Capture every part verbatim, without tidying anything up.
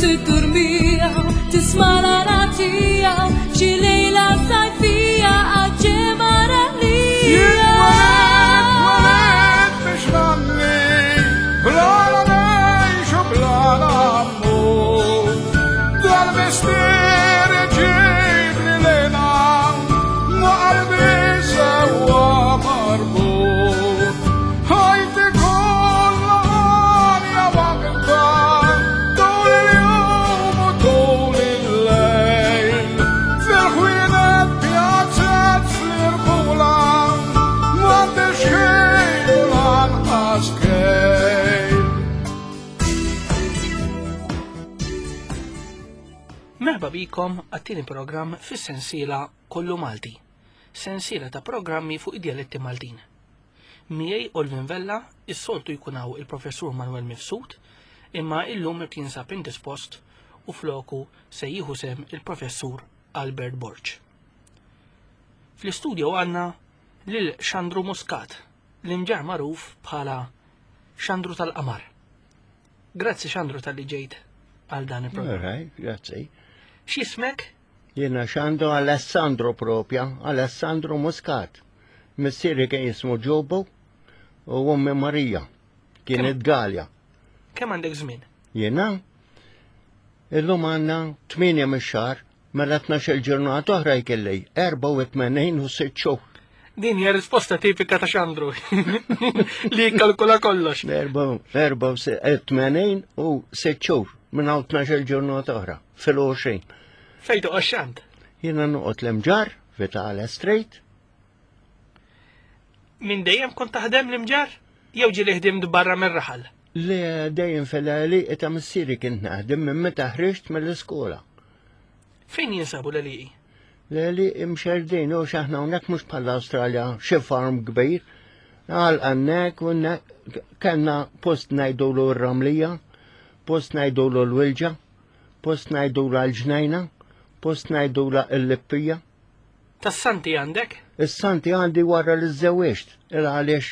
Tiddurmija, tisma' l-għana tiegħu f'xi lejla sajfija għaġġemara lija. Twelidt biex ngħanni, bla la ngħix u bla la mmut. Dal-mistier iġibli l-hena, ma' qalbi sewwa marbut. Ħajti kollha għanja waħda, tul il-jum u tul il-lejl. Fil-ħwienet pjazzet fl-irħula, m'għandix ħin u lanqas kejl. Merħba bikom għat-tieni programm fis-sensiela Kollu Malti, sensiela ta' programmi fuq id-dialetti Maltin. Miegħi Olvin Vella, is-soltu jkun hawn il-Professur Manuel Mifsud, imma illum qed jinsab indispost u floku se jieħu sem il-Professur Albert Borg. Fl-istudio għandna lil Xandru Muscat, l-imġar magħruf bħala Xandru tal-Qamar. Grazzi Xandru talli ġejt għal dan il-programm. All right, grazzi. X'ismek? Jiena Xandru Alessandro propja, Alessandro Muscat. Missieri kien jismu Ġobo u ommi Marija. Kienet Galja. Kemm għandek żmien? Jiena illum għandna tmienja mix-xahar, mela tnax-il ġurnata oħra jkelli erbgħa u tmenin u sitt xhur. Din hija risposta tipika ta' Xandru li jikkalkula kollox. Erbgħa u tmenin u sitt xhur minn hawn tnax-il ġurnata oħra fil-għoxrin. Fejn toqgħod Xand? Jiena noqgħod l-Imġar, Vitale Street. Minn dejjem kont taħdem l-Imġar? Jew ġieli ħdimt barra mir-raħal? Li dejjem fil-għelieqi ta' missieri kint naħdem minn meta ħriġt mill-iskola. Fejn jinsabu l-għelieqi? L-għelieqi mxerdin, u xaħna hawnhekk mhux bħal Awstralja, xi farm kbir. Għal għannek, u kellna post ngħidulu r-Ramlija, post ngħidulu l-Wilġa, post ngħidulu l-Ġnejna, post ngħidulu l-Lippija. Tas-Santi għandek? Is-Santi għandi wara li żżewwiġt, il għaliex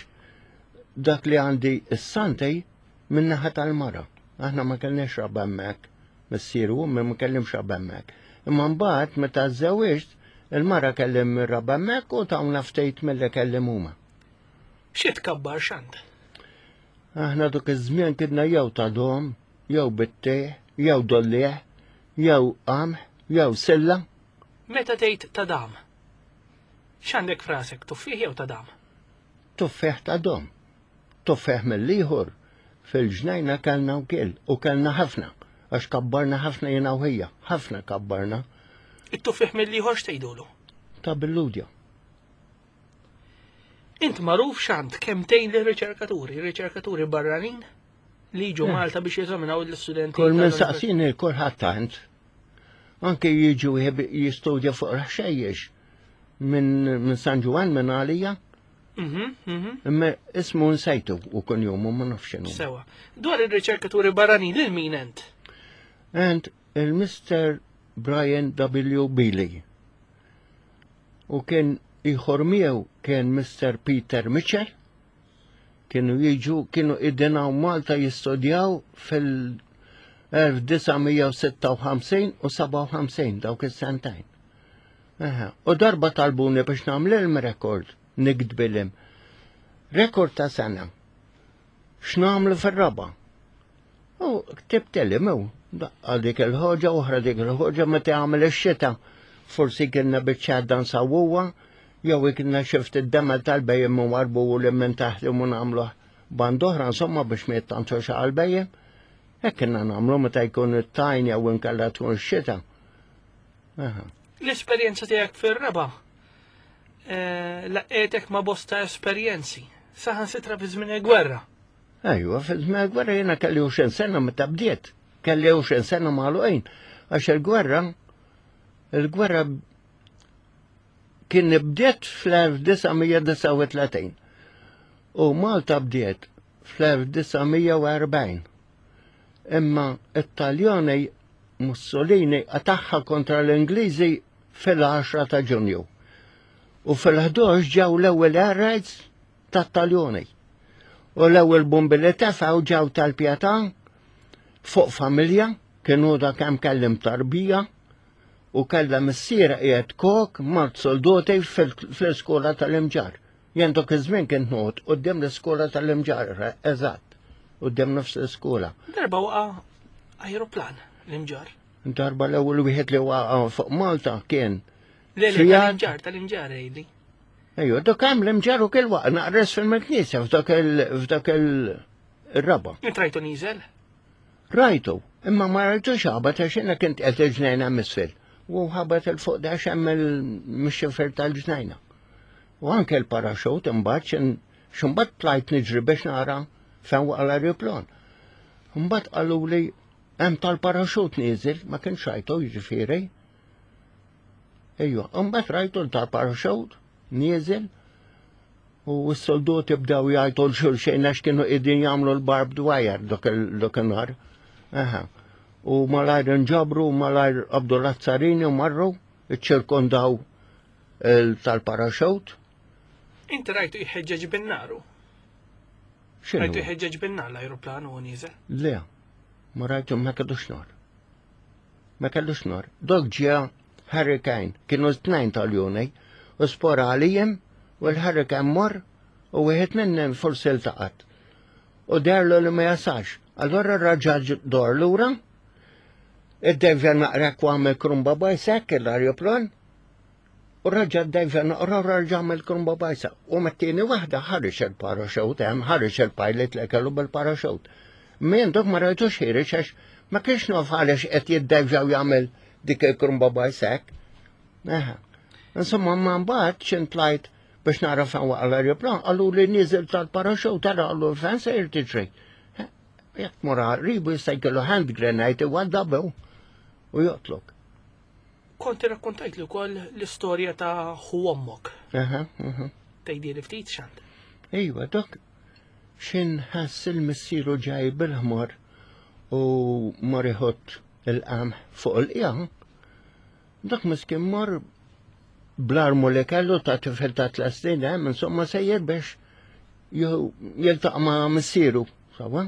dak li għandi is-Santi min-naħa tal-mara. Aħna ma kellniex raba hemmhekk, missieru u ma kellimx raba hemmhekk. Imma mbagħad meta żżewwiġt, il-mara kellim raba hemmhekk u tawna ftit milli kellim huma. Xi tkabbar Xand? Aħna dak iż-żmien kidna jew ta' dom, jew bittieħ, jew dollieħ, jew qamħ, jew silla. Meta tgħid ta' dam? X'għandek frasek, tuffieħ jew ta' dam? Tuffieħ ta' dom. Tuffieħ mill-ieħor fil-ġnejna kellna wkoll u kellna ħafna, għax kabbarna ħafna jiena u ħija, ħafna kabbarna. It-tuffieħ mill-ieħor x'tgħidulu? Ta' billudja. Int magħruf Xand kemm tgħin lir-riċerkaturi, riċerkaturi barranin li jiġu Malta biex jeżaminaw l-istudenti. Kull minn tal-università. saqsini kulħadd tant. Anke jiġu jistudja fuq ħxejjex minn min San Ġwann minn għalija, Mhm, mhm. imma ismu nsejtu u kun jomu ma nafx x'inhu. Sewa. Dwar ir-riċerkaturi barranin lil min ent? And il-Mister Brian W. Bealey. U kien ieħor miegħu kien Mister Peter Mitchell. Kienu jiġu, kienu idinaw Malta jistudjaw fil-elf disa' mija u sitta u ħamsin u sebgħa u ħamsin, dawk is-sentejn. Aha. U darba talbuni biex nagħmlilhom rekord, niktbilhom. Rekord ta' sena. X'nagħmlu fir-raba'? U ktibtilhom u daqqa dik il-ħoġa, oħra dik il-ħoġa, meta jagħmel ix-xita. Forsi kienna biċċa nsawwuha, jew kienna xift id-demel tal-bhejjem u warbu u li minn taħt u nagħmluh band oħra, insomma biex ma jittantux għal-bhejjem. Hekk kienna nagħmlu meta jkun it-tajn jew inkella tkun ix-xita. Aha. L-esperjenza tiegħek fir-raba' eh, laqqgħetek ma' bosta esperjenzi. Saħansitra fi żmien il-gwerra. Ejwa, fi żmien il-gwerra jiena kelli għoxrin sena meta bdiet. Kelli għoxrin sena magħluqin. Għax il-gwerra, il-gwerra kien bdiet fl-elf disa' mija disgħa u tletin. U Malta bdiet fl-elf disa' mija u erbgħin. Imma it-Taljani Mussolini qatagħha kontra l-Ingliżi fil-għaxra ta' Ġunju. U fil-ħdax ġew l-ewwel air raids tat-Taljoni. U l-ewwel bombi li tefgħu ġew tal-Pietà fuq familja, Kienu da kemm kellim tarbija u kellha missiera qiegħed kok mart soldoti fl-iskola tal-Imġarr. Jien dak iż-żmien kien noqgħod quddiem l-iskola tal-Imġarr, eżatt, quddiem nofs l-iskola. Darba waqa' ajruplan l-Imġarr. Darba l-ewwel wieħed li waqa' fuq Malta kien. Le, le, tal-Imġarr, tal-Imġarr għidli. Ejju, dak hemm l-Imġarr u kien waqa' naqres fil-knisja f'dak il- il-raba. Int rajtu nieżel? Rajtu, imma ma rajtux ħabat għax jiena kint qed il-ġnejna misfil. U ħabat il-fuq da hemm il-mixxifer tal-ġnejna. U anke l-paraxut imbagħad x'imbagħad tlajt niġri biex nara fejn waqa' l-ajruplan. Imbagħad qalu li hemm tal-paraxut nieżel, ma kienx rajtu jiġifieri. Ejwa, imbagħad rajtu tal-paraxut nieżel u s-soldati bdew jgħajtu l-xulxejn għax kienu qegħdin jagħmlu l-barbed wire dak in-nhar. Aha. U malajr nġabru, malajr qabdu l-azzarini u marru, iċċirkondaw tal-paraxut. Inti rajtu jħeġġeġ bin-naru. X'inhu? Rajtu jħeġġeġ bin-nar l-ajruplan u nieżel. Le, ma rajtu ma kellux nar. Ma kellux nar. Dok ġie Hurricane, kienu tnejn tal-juni, u spora għalijem, u l-Hurricane mor, u wieħed minnhom forsi ltaqat. U derlu li ma jasax. Allora raġa dor lura, id-devja naqra għamel krumba bajsek l-ajruplan, u raġa d-devja naqra raġa għamel krumba bajsa. U mat-tieni waħda ħareġ il-paraxut, hemm ħareġ il-pilot li kellu bil-paraxut. Min dok ma rajtux ħireġ għax ma kienx naf għaliex qed jiddevja u jagħmel dik il-krumba bajsek. Eħe. Insomma, ma mbagħad x'in tlajt biex nara fejn waqa' l-ajruplan, qalu li niżel tal-paraxut, tara qalu fejn sejr tiġri. Jekk mora ribu jista' jkollu hand grenade iwaddabew u joqtlok. Kont irrakkontajt li wkoll l-istorja ta' ħu ommok. Aha, aha. Tgħidili ftit xant. Ejwa, dok xin ħass il-missieru ġaj bil-ħmar u mar iħott il-qamħ fuq il-qija, dak miskin mar bl-armu li kellu ta' tifel ta' tliet snin hemm, insomma sejjer biex jiltaqa' ma' missieru, sawa,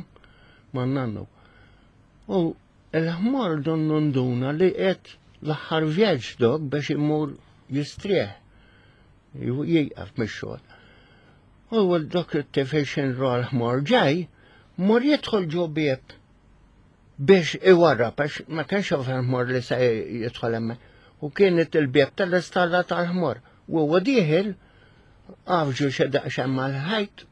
ma' nannu. U il-ħmar donnu nduna li qed l-aħħar vjaġġ dok biex imur jistrieħ, jieqaf mix-xogħol. U dak it-tifel xin ra l-ħmar ġej, mor jidħol ġo bieb biex iwarrab, għax ma kienx jaf il-ħmar li se jidħol hemmhekk. U kienet il-bieb tal-istalla tal-ħmar. U huwa dieħel, għafġu xi daqsxejn mal-ħajt,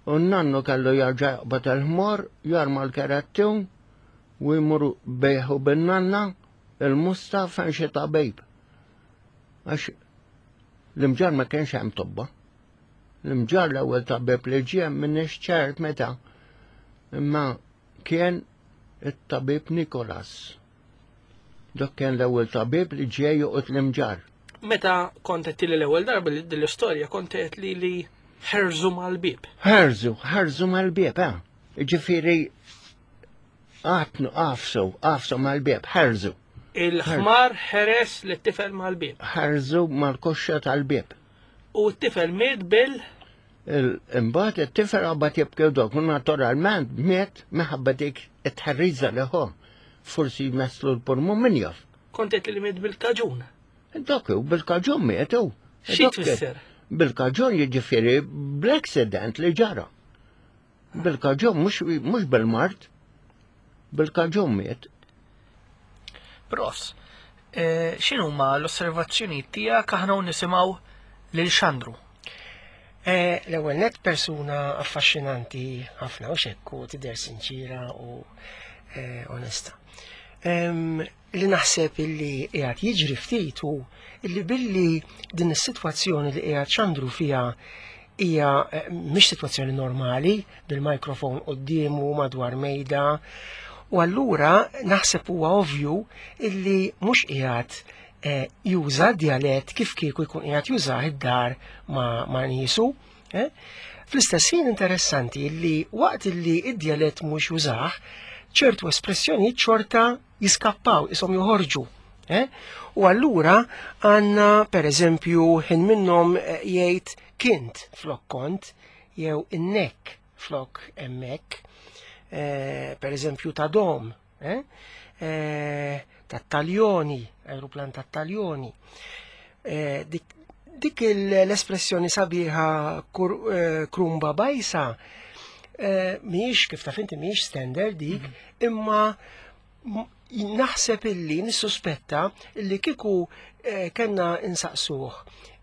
u n-nannu kellu jarġa' jaqbad il-ħmar, jarma l-kerettun, u jmur bejħu bin-nanna il-musta fejn xi tabib. Għax l-Imġarr ma kienx hemm tobba. L-Imġarr l-ewwel tabib li ġie m'iniex ċert meta, imma kien it-tabib Nikolas. Dak kien l-ewwel tabib li ġie joqgħod l-Imġarr. Meta kont qed li l-ewwel darba li din l-istorja kont qed li li ħerżu mal-bieb. Ħerżu, ħerżu mal-bieb, eh. Ġifieri għatnu għafsu, għafsu mal-bieb, ħerżu. Il-ħmar ħeres li t-tifel mal-bieb. Ħerżu mal-koxxa tal-bieb. U t-tifel miet bil Imbagħad it-tifel qabad jibki dok, u naturalment miet minħabba dik it-tħerriża li ħo. Forsi jmesslu l-pulmun min jaf. Kont qed li miet bil-kaġun. Dak hu bil-kaġun miet hu. Xi tfisser? Bil-kaġun jiġifieri bl-accident li ġara. Bil-kaġun mhux bil-mard. Bil-kaġun miet. Pros, x'inhuma l-osservazzjonijiet tiegħek aħna u nisimgħu lil Xandru? L-ewwel net persuna affaxxinanti ħafna u xekku tidher sinċira u onesta. Li naħseb illi qiegħed jiġri ftit hu illi billi din is-sitwazzjoni li qiegħed Xandru fiha hija mhix sitwazzjoni normali bil-mikrofon quddiemu madwar mejda, u allura naħseb huwa ovvju illi mhux qiegħed juża dialett kif kieku jkun qiegħed jużah id-dar ma' niesu. Fl-istess ħin interessanti illi waqt illi id-dialett mhux jużah, ċertu espressjonijiet xorta jiskappaw, ishom joħorġu. U allura għandna per eżempju ħin minnhom jgħid kint flok kont, jew innek flok emmek, per eżempju ta' dom eh? Eh, tat-taljoni, aeroplan tat-taljoni. Eh, dik, dik l-espressjoni sabiħa kur, eh, krumba bajsa eh, mhijiex kif taf inti mhijiex standard dik, imma m- naħseb illi nissuspetta illi kieku eh, kellna insaqsuh.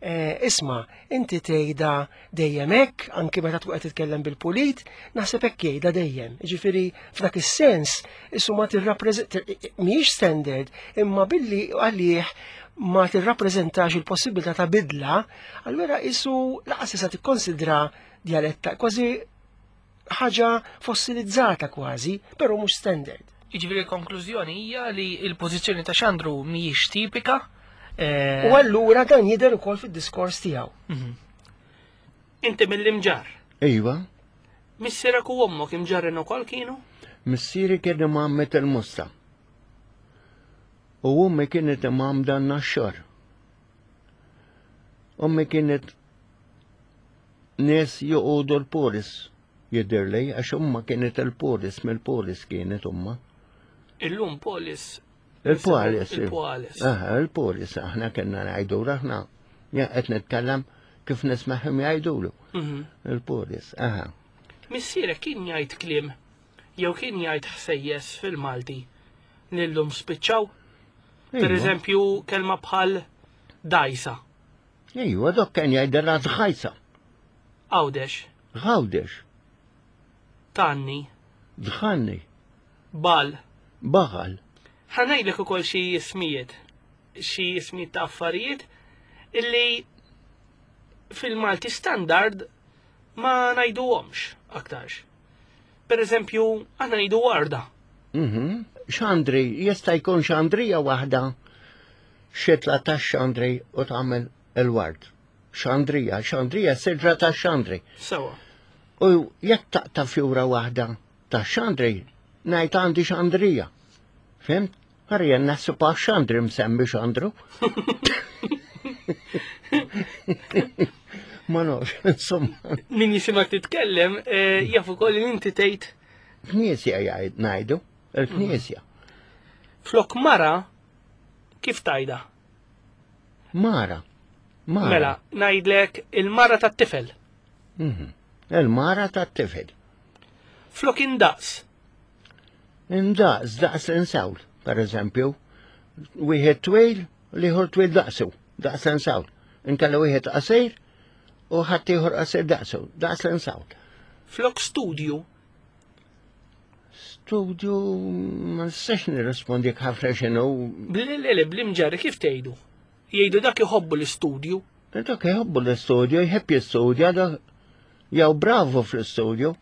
Eh, isma, inti tgħidha dejjem hekk, anki meta tkun qed titkellem bil-pulit, naħseb hekk jgħidha dejjem. Jiġifieri f'dak is-sens issu ma tirrappreżenta mhijiex standard, imma billi għalih ma tirrappreżentax il-possibilità ta' bidla, allura isu laqas issa tikkonsidra djaletta kważi ħaġa fossilizzata kważi, però mhux standard. Jiġifieri l-konklużjoni hija li l-pożizzjoni ta' Xandru mhijiex tipika. eh, U allura dan jidher ukoll fid-diskors tiegħu. mhm. Inti mill-Imġarr. Iva, Missierek u ommok imġarrin ukoll kienu? missieri kien imgħammed il-Mosta. U ummi kienet imgħammda n-Naxxar. Ummi kienet nies joqogħdu l-Polis jidhirli, għax umma kienet il-Polis, mill-Polis kienet umma. Illum Polis. Il-Polis. Il-Polis. Aha, il-Polis, aħna kienna ngħidu aħna. Ja, qed nitkellem kif nismagħhom jgħidulu. Mhm. Il-Polis, aha. Missierek kien jgħid kliem jew kien jgħid ħsejjes fil-Malti li llum spiċċaw? Per Iva. eżempju, kelma bħal dajsa, Ejwa, dok kien jgħidilha dħajsa. Għawdex, Għawdex, tanni, dħanni, bal. baħal. Ħa ngħidlek ukoll xi ismijiet, xi ismijiet ta' affarijiet illi fil-Malti standard ma ngħiduhomx aktarx. Per eżempju, aħna ngħidu warda. Mhm. Xandri, jista' jkun xandrija waħda xitla ta' xandri u tagħmel il-ward. Xandrija, xandrija siġra ta' xandri. Sewa. U jekk taqta' fjura waħda ta' xandri, ngħid għandi xandrija. Fimt? Ħarja naħseb għax xandri msemmi xandru. Ma nafx, insomma. Min jisimak titkellem, eh, jaf ukoll li inti tgħid Knisja jgħid ngħidu, il-knisja. flok mara kif tajda? Mara. Mara. Mela, ngħidlek il-mara tat-tifel. Mhm. Il-mara tat-tifel. Flok indaqs. Indaqs, daqs insawl, per eżempju. Wieħed twil, l-ieħor twil daqsu, daqs insawl. Inkella wieħed qasir u ħadd ieħor qasir daqsu, daqs insawl. Flok studju. Studju ma nistax nirrispondik ħafna x'inhu. Bl-lele bl-imġarri kif tgħidu? Jgħidu dak iħobbu l-istudju. Dak jħobbu l-istudju, jħebb jistudja, dak jew bravo fl-istudju.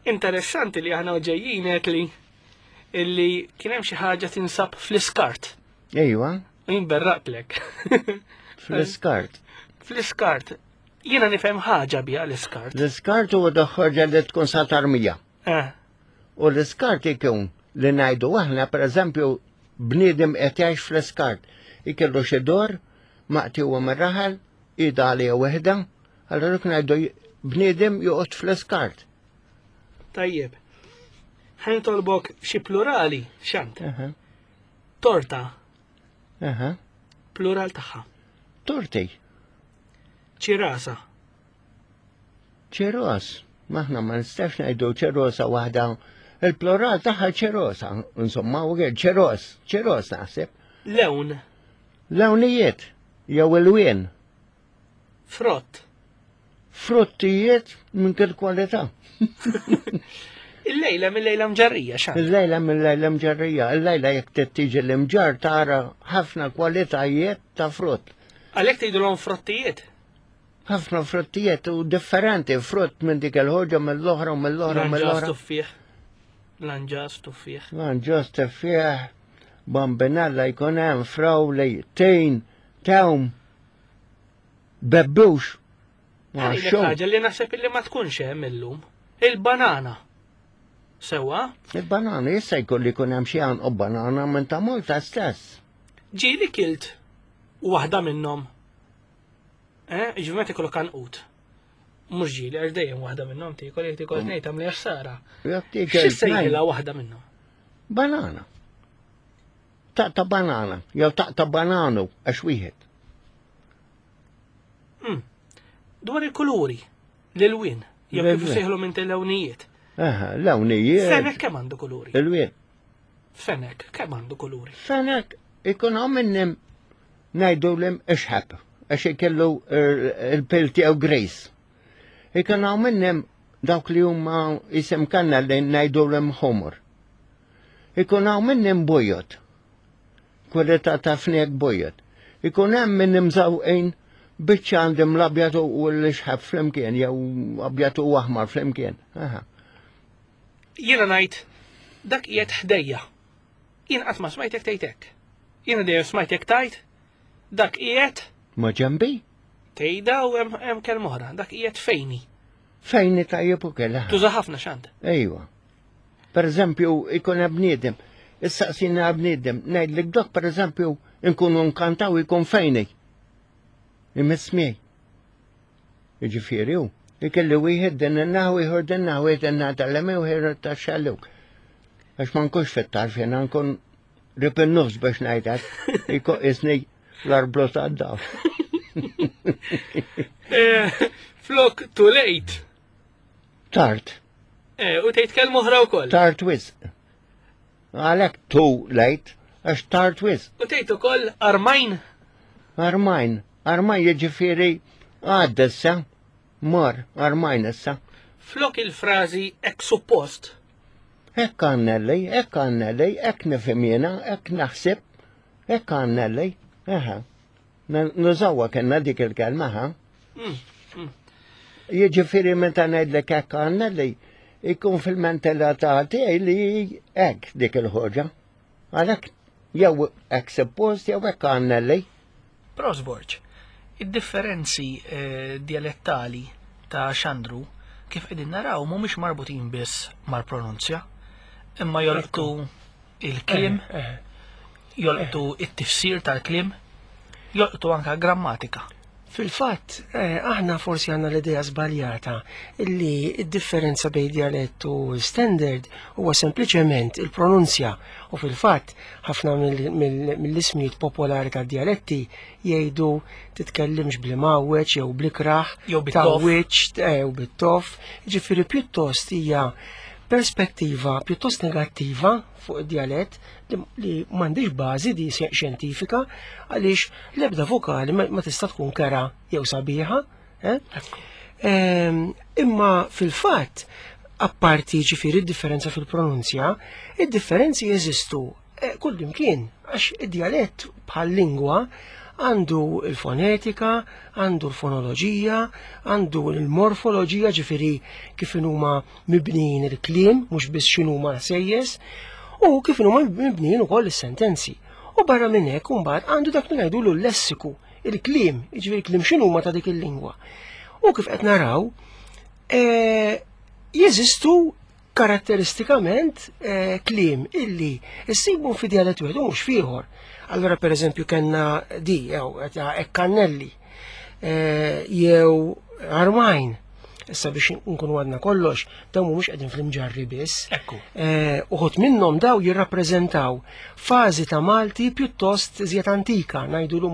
Interessanti li aħna ġejjin qed li illi kien hemm xi ħaġa tinsab fl-iskart. Ejwa, U jien berraqtlek. fl-iskart. Fl-iskart. Jiena nifhem ħaġa biha l-iskart. L-iskart huwa doħħorġa li tkun sa tarmija. Eh, U l-iskart ikun li ngħidu aħna pereżempju bniedem qed jgħix fl-iskart. Ikellu xi dor maqtiwa mir-raħal, ida għalija waħda, allura dik ngħidu bniedem joqgħod fl-iskart. tajjeb. Ħa nitolbok xi plurali, xant. Aha, Torta, aha. plural tagħha. Torti, Ċirasa, ċeros. Maħna ma nistax ngħidu ċerosa waħda. Il-plural tagħha ċerosa, insomma, u ċeros, ċeros naħseb. lewn, Lewnijiet, jew il-wien, frott. fruttijiet minn kull kwalità. Il-lejla mill-lejla mġarrija, xant. Il-lejla mill-lejla mġarrija, il-lejla jekk tiġi l-imġar tara ħafna kwalitajiet ta' frott. Għalhekk tgħidulhom frottijiet. Ħafna fruttijiet u differenti, frott minn dik il-ħoġa mill-oħra u mill-oħra u Lanġas mill-oħra. tuffieħ. Lanġas tuffieħ. Lanġas tuffieħ, bambinella jkun hemm frawli, tejn, tewm, bebbux. Ma Għalhekk xew. ħaġa li naħseb illi ma tkunx hemm illum. Il-banana. Sewa, Il-banana jista' jkun li jkun hemm xi għanqu banana minn ta' Malta stess. ġieli kilt waħda minnhom. Eh, ġifieri meta ikollok għanqut. Mhux ġieli, għax dejjem waħda minnhom tiekol jekk tiekol tnejn tagħmel ħsara. Jekk tiekol Xi sejħilha waħda minnhom? Banana. Taqta' banana, jew taqta' bananu, għax wieħed. Hmm. Dwar il-kuluri, l-ilwien, jew kif sejħlu minn lewnijiet. Aha, lewnijiet. Fenek kemm għandu kuluri? Il-wien. Fenek kemm għandu kuluri? Fenek ikun hawn minnim ngħidu lim ixħab, għax ikellu il-pil tiegħu grace. Ikun hawn minnim dawk li huma isem kanna li ngħidu lim ħomor. Ikun hawn minnim bojot. Kwalità ta' fnek bojot. Ikun hemm minnim żawqin biċċa għandim l-abjad u l-ixħab flimkien, jew abjad u aħmar flimkien. Aha. Jiena ngħid dak qiegħed ħdejja. Jien qatt ma smajtek tgħid hekk. Jiena dejjem smajtek tgħid dak qiegħed Ma ġembi? Tgħidha u hemm kelma oħra, dak qiegħed fejni. Fejni tajjeb ukoll. Tuża ħafna x'għand. Ejwa. Per eżempju, ikun hemm bniedem, issaqsina bniedem, ngħidlek dok per eżempju nkunu nkantaw ikun fejni. Imiss miegħi. Jiġifieri hu. Ikelli wieħed din in-naħa, ieħor din naħa, wieħed in-naħa tal-lemin u ieħor tax-xellug. Għax ma nkunx fit-tarf jiena nkun rib in-nofs biex ngħidlek. Ikun isni l-arblu tad-daf. Eh, flok too late. Tard. Eh, u tgħid kelma oħra wkoll. Tard wisq. Għalhekk too late, għax tard wisq. U tgħid ukoll armajn. Armajn, armajn jiġifieri għadda issa, mor, armajn issa. Flok il-frażi hekk suppost. Hekk għannelli, hekk għannelli, hekk nifhem jiena, hekk naħseb, hekk għannelli, aha. Nużawha kellna dik il-kelma, ha? Mm, mm. Jiġifieri meta ngħidlek hekk għannelli, ikun fil-mentalità tiegħi li hekk dik il-ħoġa. Għalhekk jew hekk suppost jew hekk għannelli. Prosborg, id-differenzi eh, dialettali ta' Xandru kif qegħdin naraw mhumiex marbutin biss mal-pronunzja, imma jolqtu il-kliem, Eh, eh. jolqtu it-tifsir tal-kliem, jolqtu anka grammatika. Fil-fatt, eh, aħna forsi għandna l-idea żbaljata illi id-differenza bejn dialett u standard huwa sempliċement il-pronunzja u fil-fatt ħafna mill- mill- mill-ismijiet popolari tad-dialetti jgħidu titkellimx bl-imgħawweġ jew bl-ikraħ, Jew bit-tof. tgħawwiġ, eh, jew bit-tof, ġifieri pjuttost hija perspettiva pjuttost negattiva fuq id-dialett li, li m'għandix bażi di xjentifika għaliex l-ebda vokali ma, ma tista' tkun kera jew sabiħa. Eh? Ehm, imma fil-fatt, apparti ġifieri id-differenza fil-pronunzja, id-differenzi jeżistu eh, kullimkien għax id-dialett bħal lingwa għandu il-fonetika, għandu l-fonoloġija, għandu l-morfoloġija, ġifieri kif huma mibnijin il-kliem, mhux biss x'inhuma sejjes, u kif huma mibnijin ukoll is-sentenzi. U barra minn hekk imbagħad għandu dak li ngħidulu l-lessiku, il-kliem, jiġifieri kliem x'inhuma ta' dik il-lingwa. U kif qed naraw, eh, jeżistu karatteristikament eh, kliem illi issibu fi dialett wieħed u mhux f'ieħor. Allora per eżempju kellna di jew ekkannelli eh, jew armajn. Issa biex nkunu għadna kollox, dawn mhumiex qegħdin fl-imġarri biss. Ekku. Eh, uħud minnhom daw jirrappreżentaw fażi ta' Malti pjuttost iżjed antika, ngħidulu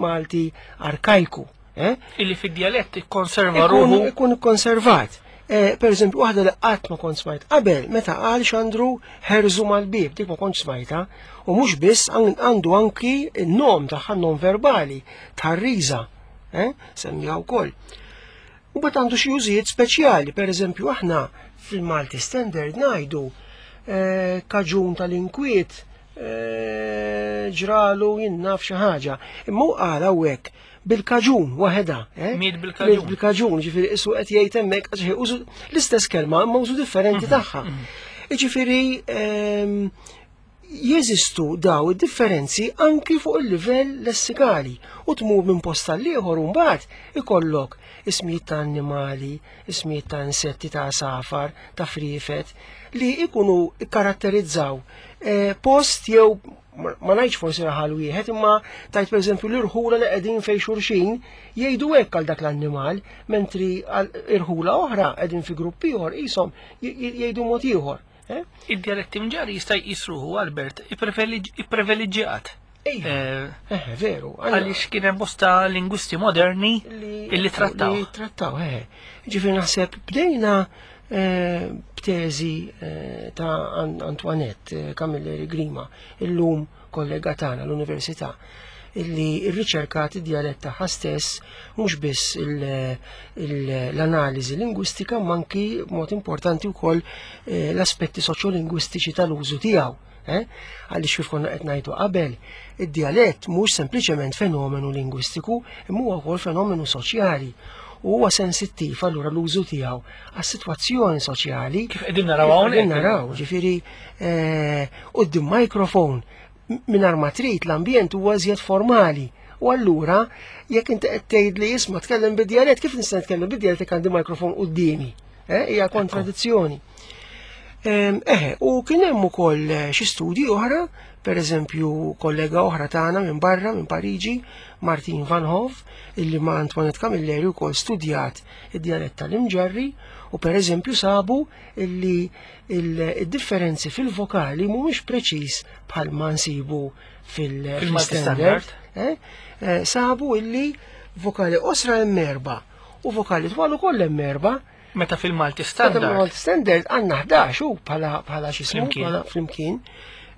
Malti arkajku. Eh? Illi fid-dialett ikkonserva Ikun ruħu. ikun konservat. Eh, per eżempju, waħda li qatt ma kont smajt qabel, meta qal Xandru ħerżu mal-bib, dik ma kont smajta, u mhux biss għandu anki n-nom tagħha nom verbali, tħarriża, eh? semmija wkoll. U bat għandu xi użijiet speċjali, per eżempju, aħna fil-Malti Standard ngħidu eh, kaġun tal-inkwiet eh, ġralu jinnaf xi ħaġa. Imma hu qal hawnhekk bil-kaġun waħedha. Eh? Miet bil-kaġun. Miet bil-kaġun, ġifieri isu qed jgħid hemmhekk għax użu l-istess kelma imma użu differenti tagħha. Jiġifieri ehm, jeżistu daw id-differenzi anki fuq il-livell lessikali u tmur minn post għal ieħor u mbagħad ikollok ismijiet ta' annimali, ismijiet ta' insetti ta' safar, ta' frifet li ikunu karatterizzaw eh, post jew ma ma ngħidx forsi raħal wieħed imma tajt pereżempju l-irħula li qegħdin fejn xulxin jgħidu hekk għal dak l-annimal, mentri għal irħula oħra qegħdin fi grupp ieħor qishom jgħidu mod ieħor. Eh? Id-dialetti mġarri jista' jqisruhu Albert ipprivileġġjat. Ejja, Eh, eh, veru. għandna- Għaliex kien hemm bosta lingwisti moderni illi trattaw. Li trattaw, eh. Ġifieri naħseb bdejna eh, b'teżi eh, ta' An- Antoinette eh, Camilleri Grima, illum kollega tagħna l-Università, illi rriċerkat id-dialett tagħha stess mhux biss il- il- l-analiżi lingwistika ma anki b'mod importanti wkoll eh, l-aspetti soċjolingwistiċi tal-użu tiegħu. Eh? Għaliex kif konna qed ngħidu qabel, id-dialett mhux sempliċement fenomenu lingwistiku, imma huwa wkoll fenomenu soċjali. U huwa sensittiv allura l-użu tiegħu għas-sitwazzjoni soċjali. Kif qegħdin naraw hawnhekk. Qegħdin naraw, ġifieri eh, quddiem microphone mingħajr ma trid l-ambjent huwa iżjed formali. U allura jekk inti qed tgħid li isma' tkellem bid-dialett, kif nista' nitkellem bid-dialett jekk għandi microphone quddiemi? Eh, hija kontradizzjoni. Em, Eħe, u kien hemm ukoll eh, xi studji oħra, per eżempju kollega oħra tagħna minn barra, minn Pariġi, Martin Van Hove, illi ma' Antoinette Camilleri wkoll studjat id-dialett tal-Imġarri u per eżempju sabu illi il-differenzi fil-vokali mhumiex preċiż bħal ma nsibu fil- Fil-Malti fil-standard. standard. Eh, eh, Sabu illi vokali qosra hemm erba' u vokali twal ukoll hemm erba'. Meta fil-Malti Meta standard. Malti standard għandna ħdax u bħala bħala xi ismu, Flimkien. bħala flimkien.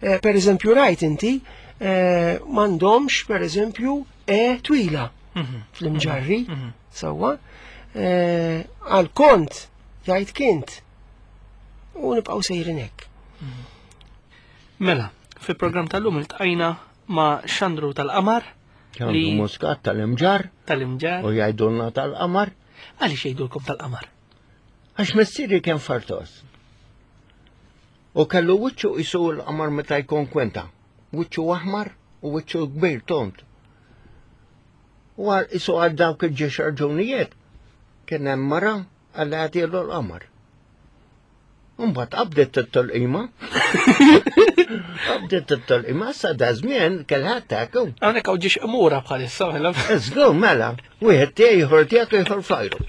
Eh, Per eżempju rajt inti eh, m'għandhomx per eżempju e twila Mhm. fl-imġarri, sewwa. Eh, Għal kont jgħid kint. U nibqgħu sejrin hekk. Mela, fil-programm tal-lum iltqajna ma' Xandru tal-Qamar Xandru li Muscat tal-Imġarr tal-Imġarr. u jgħidulna tal-Qamar. Għaliex jgħidulkom tal-Qamar? Għax missieri kien fartos. U kellu wiċċu qisu l-qamar meta jkun kwenta. Wiċċu aħmar u wiċċu kbir tont. U għal qisu għal dawk il-ġiex raġunijiet. Kien hemm mara għal għatielu l-qamar. Mbagħad qabdet it-tolqima. Qabdet it-tolqima sa da żmien kellha taku. Hawnhekk hawn ġiex qmura bħalissa mela. Żgur mela, wieħed tiegħi ieħor tiegħek ieħor fajru.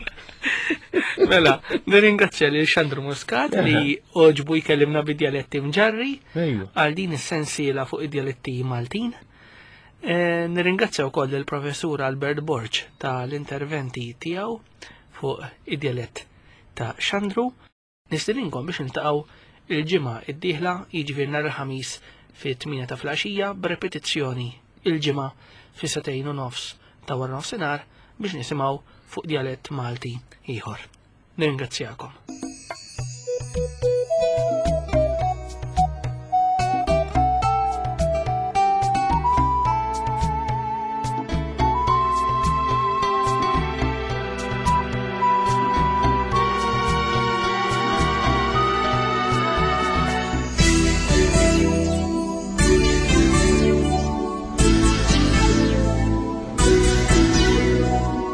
Mela, nirringrazzja lil Xandru Muscat li oġbu jkellimna bid-dialetti mġarri Ejju. għal din is-sensiela fuq id-dialetti Maltin. Eh, Nirringrazzja wkoll il-professur Albert Borg tal-interventi tiegħu fuq id-dialett ta' Xandru. Nistedinkom biex niltaqgħu il-ġimgħa id-dieħla, jiġifieri nhar il-ħamis fit-tmienja ta' filgħaxija b'repetizzjoni il-ġimgħa fis-setejn u nofs ta' wara nofsinhar biex nisimgħu fuq dialett Malti ieħor. Nirringrazzjakom.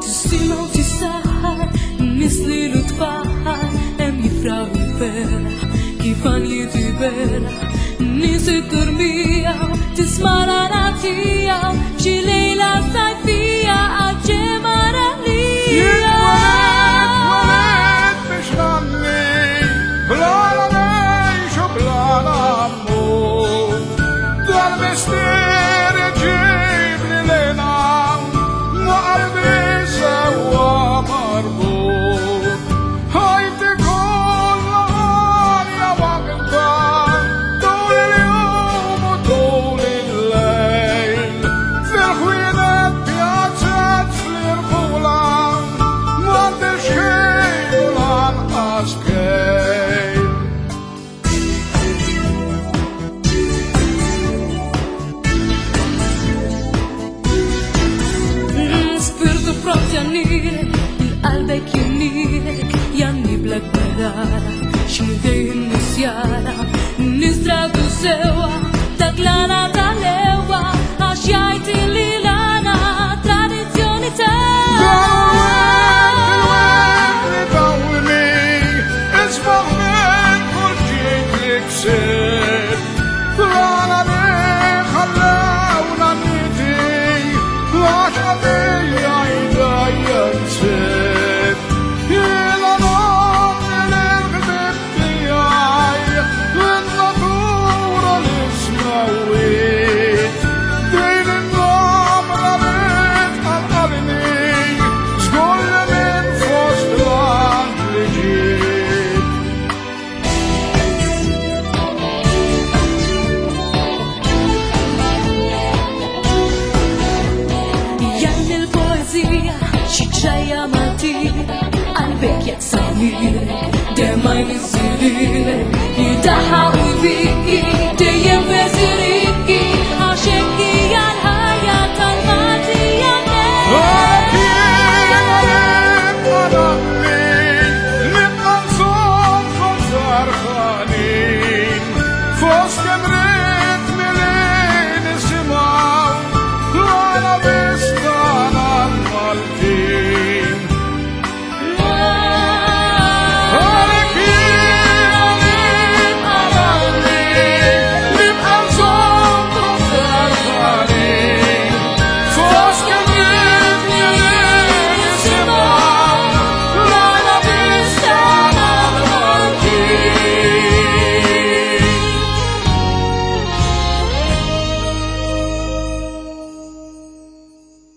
Tisimgħu tissaħħar, nislilu tfaħħar, hemm jifraħ il-ferħ, kif għanjiet iberħ. Nies it-turmija, tisma' l-għana tiegħu, xi lejla sajfija għal-ġemgħa għalija. Jien biex nanni, bla la ngħix u bla la mmut. Dal-mistier iġibni lejna, ma qalbi sewwa marbut. Ħajti kollha għalja waħda, tul il-jum u tul il-lejl. Fil-ħwienet pjazzet fl-irħula, m'għandix ħin u lanqas kejl. Spirtu pront jannilek, il-qalbek jimnilek, janni blak barara, x'midej nisjara, nisdradu sewa, dak l-għana tal-ewa, għax jgħid li l-għana tradizzjoni ta' Yeah. يدحى.